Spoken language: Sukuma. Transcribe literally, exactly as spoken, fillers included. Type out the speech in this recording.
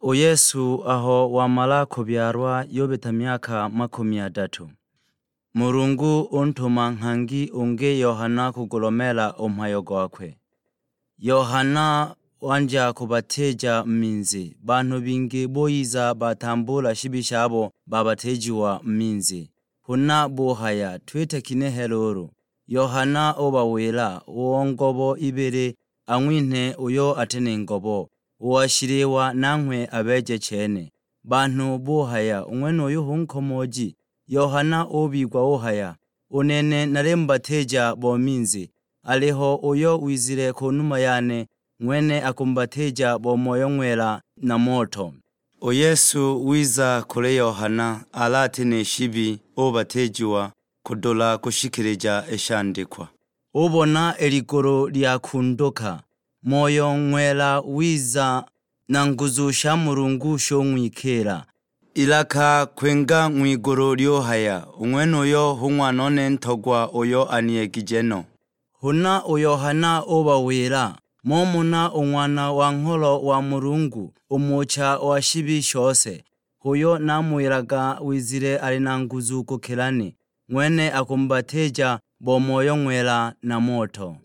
U Yesu aho wamala kubyalwa yubita myaka makumi adatu, Mulungu untuma nghangi ungi Yohana kugulomeela u mhayo gwakwe. Yohana wanja kubatija mu minzi, banhu bingi buyiza batambula shibi shabo babatijiwa mu minzi. Huna buhaya, "Twite kinehe luulu?" Yohana ubawila, "Uo ngobo ibili ang'winhe uyo ati ni ngobo, uwa shiliwa nanghwe abeeje chene." Banhu buhaya, "U ng'wenuyu hu nkomooji?" Yohana ubigwa uhaya, "U nene nalimubatija bo minzi, aliho uyo wizile ku numa yane, ng'wene akumubatija bo Moyo Ng'wela na moto." U Yesu wiza kuli Yohana, alati ni shibi, ubatijiwa kudula kushikilija i shandikwa. Ubona i ligulu lyakunduka, Moyo Ng'wela wiza, na nguzu sha Mulungu shung'wikiila. Ilaka kwinga ng'wigulu lyuhaya, "U ng'wenuyo hu Ng'wanone ntogwa uyo aniyegije no." Huna u Yohana ubawila, "Mumona u Ng'wana wa Ngholo wa Mulungu, u Mucha wa shibi shose. H'uyo namuwilaga wizile ali na nguzu kukila ni, ng'wene akumubatija bo Moyo Ng'wela na moto."